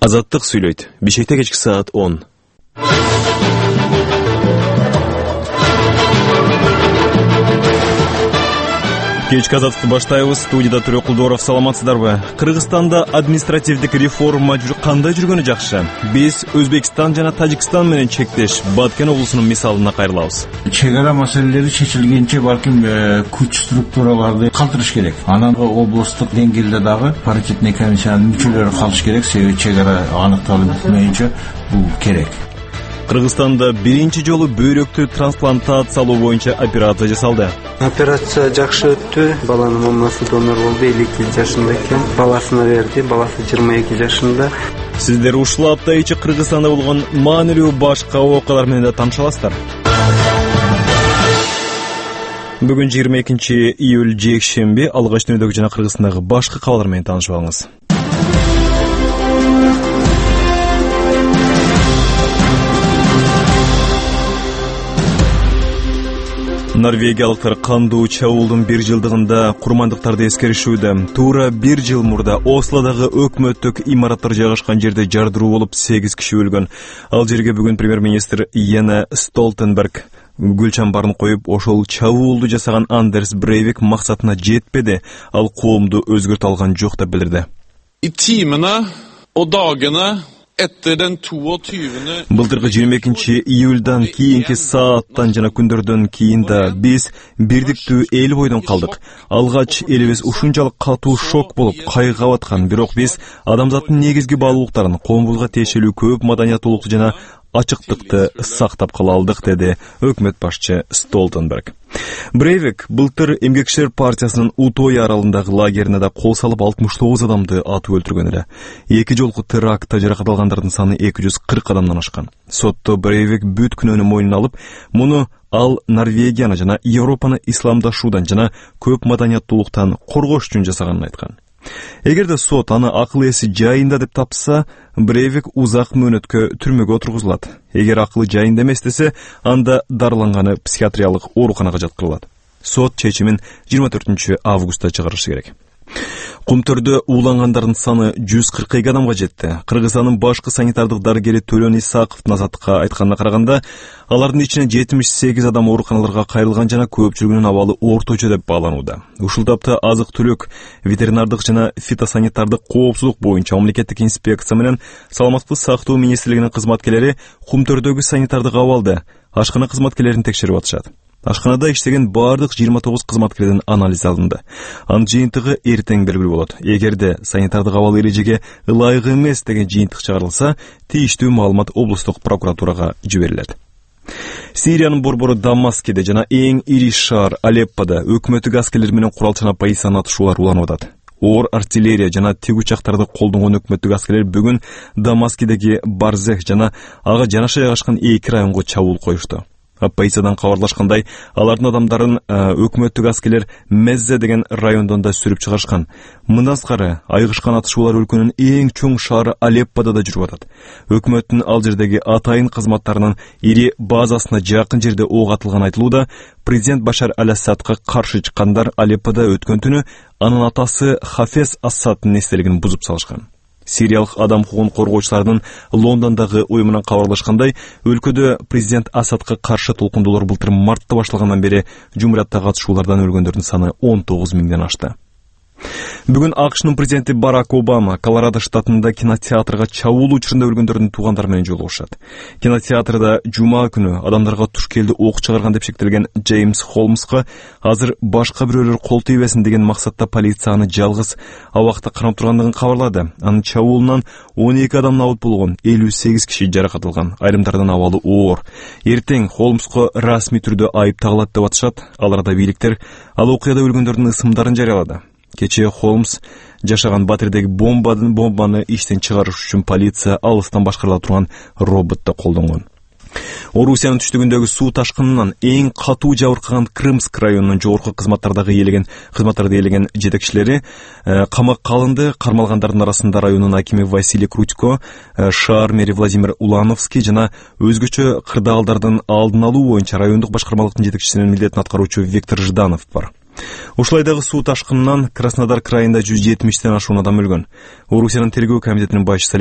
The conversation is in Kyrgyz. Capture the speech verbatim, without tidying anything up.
Азаттык сүйлөйт. Бишкекте кечки саат он. Кечки азаттыкты баштайбыз. Студияда Төрө Кулдоров. Саламатсыздарбы? Кыргызстанда административдик реформа кандай жүргөнү жакшы? Биз Өзбекстан жана Тажикстан менен чектеш Баткен облусунун мисалына кайрылабыз. Чек ара маселелери чечилгенче балким күч структураларды калтырыш керек. Анан облустук деңгээлде дагы паритетный комиссиянын мүчөлөрү калыш керек. Себеби чек ара аныкталып бүтмөйүнчө бул керек. Кыргызстанда биринчи жолу бөйрөктү трансплантациялоо боюнча операция жасалды. Операция жакшы өттү. Баланын мамасы донор болду. элүү эки жашында экен. Баласына берди. Баласы жыйырма эки жашында. Сиздер ушул апта ичи Кыргызстанда болгон маанилүү башка окуялар менен да тааныша аласыздар. Бүгүн жыйырма экинчи июль жекшемби. Алгач дүнүдөгү жана Кыргызстандагы башка кабарлар менен таанышып алыңыз. Норвегиялыктар кандуу чабуулдун бир жылдыгында курмандыктарды эскеришүүдө. Туура бир жыл мурда Ослодогу өкмөттүк имараттар жайгашкан жерде жардыруу болуп сегиз киши өлгөн. Ал жерге бүгүн премьер-министр Йенс Столтенберг гүл чамбарын коюп, ошол чабуулду жасаган Андерс Брейвик максатына жетпеди. Ал коомду өзгөртө алган жок деп билдирди. I timene og dagene Былтыркы жыйырма экинчи июльдан кийинки сааттан жана күндөрдөн кийин да биз бирдиктүү эл бойдон калдык. Алгач элибиз ушунчалык катуу шок болуп кайгыга баткан, бирок биз адамзаттын негизги баалуулуктарын, коомубузга тиешелүү көп маданияттуулукту жана ачыктыкты сактап кала алдык, деди өкмөт башчы Столтенберг. Брейвик былтыр Эмгекчилер партиясынын Утоя аралындагы лагерине да кол салып алтымыш тогуз адамды атып өлтүргөн эле. Эки жолку терактта жаракат алгандардын саны эки жүз кырк адамдан ашкан. Сотто Брейвик бүт күнөөнү мойнуна алып, муну ал Норвегияны жана Европаны исламдашуудан жана көп маданияттуулуктан коргош үчүн жасаганын айткан. Эгерде сот аны акыл эси жайында деп тапса, Брейвик узак мөөнөткө түрмөгө отургузулат. Эгер акылы жайында эмес десе, анда дарыланганы психиатриялык ооруканага жаткырылат. Сот чечимин жыйырма төртүнчү августта чыгарышы керек. Кумтөрдө уулангандардын саны жүз кырк эки адамга жетти. Кыргызстандын башкы санитардык дарыгери Төлөн Исаковдун Азаттыкка айтканына караганда, алардын ичинен жетимиш сегиз адам ооруканаларга кайрылган жана көпчүлүгүнүн абалы орточо деп бааланууда. Ушул тапта азык-түлүк, ветеринардык жана фитосанитардык коопсуздук боюнча мамлекеттик инспекция менен Саламаттыкты сактоо министрлигинин кызматкерлери Кумтөрдөгү санитардык абалды, ашкана кызматкерлерин текшерип атышат. Ашканада иштеген бардык жыйырма тогуз кызматкердин анализ алынды. Анын жыйынтыгы эртең белгилүү болот. Эгерде санитардык абал эрежеге ылайык эмес деген жыйынтык чыгарылса, тийиштүү маалымат облустук прокуратурага жиберилет. Сириянын борбору Дамаскиде жана эң ири шаар Алеппода өкмөттүк аскерлер менен куралчан оппозициянын атышуулар уланып атат. Оор артиллерия жана тиг учактарды колдонгон өкмөттүк аскерлер бүгүн Дамаскидеги Барзех жана ага жанаша жайгашкан эки районго чабуул коюшту. Оппозициядан кабарлашкандай, алардын адамдарын өкмөттүк аскерлер Меззе деген райондон да сүрүп чыгарышкан. Мындан сырткары, айгышкан атышуулар өлкөнүн эң чоң шаары Алеппода да жүрүп атат. Өкмөттүн ал жердеги атайын кызматтарынын ири базасына жакын жерде ок атылган айтылууда. Президент Башар аль-Асадка каршы чыккандар Алеппода өткөн түнү анын атасы Хафез Асадтын эстелигин бузуп салышкан. Сириялык адам укугун коргоочулардын Лондондогу уюмунан кабарлашкандай, өлкөдө президент Асадка каршы толкундоолор былтыр мартта башталгандан бери жумурияттагы атышуулардан өлгөндөрдүн саны он тогуз миңден ашты. Бүгүн АКШнын президенти Барак Обама Колорадо штатында кинотеатрга чабуул учурунда өлгөндөрдүн туугандары менен жолугушат. Кинотеатрда жума күнү адамдарга туш келди ок чыгарган деп шектелген Джеймс Холмска азыр башка бирөөлөр кол тийбесин деген максатта полиция аны жалгыз абакта карап тургандыгын кабарлады. Анын чабуулунан он эки адам набыт болгон, элүү сегиз киши жаракат алган. Айрымдардын абалы оор. Эртең Холмско расмий түрдө айып тагылат деп атышат. Ал арада бийликтер ал окуяда өлгөндөрдүн ысымдарын жарыялады. Кечээ Холмс жашаган батирдеги бомбаны бомбаны иштен чыгарыш үчүн полиция алыстан башкарыла турган роботто колдонгон. Орусиянын түштүгүндөгү суу ташкынынан эң катуу жабыркаган Крымск районунун жогорку кызматтардагы ээлеген кызматтарды ээлеген жетекчилери камакка алынды. Кармалгандардын арасында районунун акими Василий Крутько, шаар мэри Владимир Улановский жана өзгөчө кырдаалдардын алдын алуу боюнча райондук башкармалыктын жетекчисинин милдетин аткаруучу Виктор Жданов бар. Ушулай дагы суу ташкынынан Краснодар крайында жүз жетимиштен ашуун адам өлгөн. Орусиянын тергөө комитетинин башчысы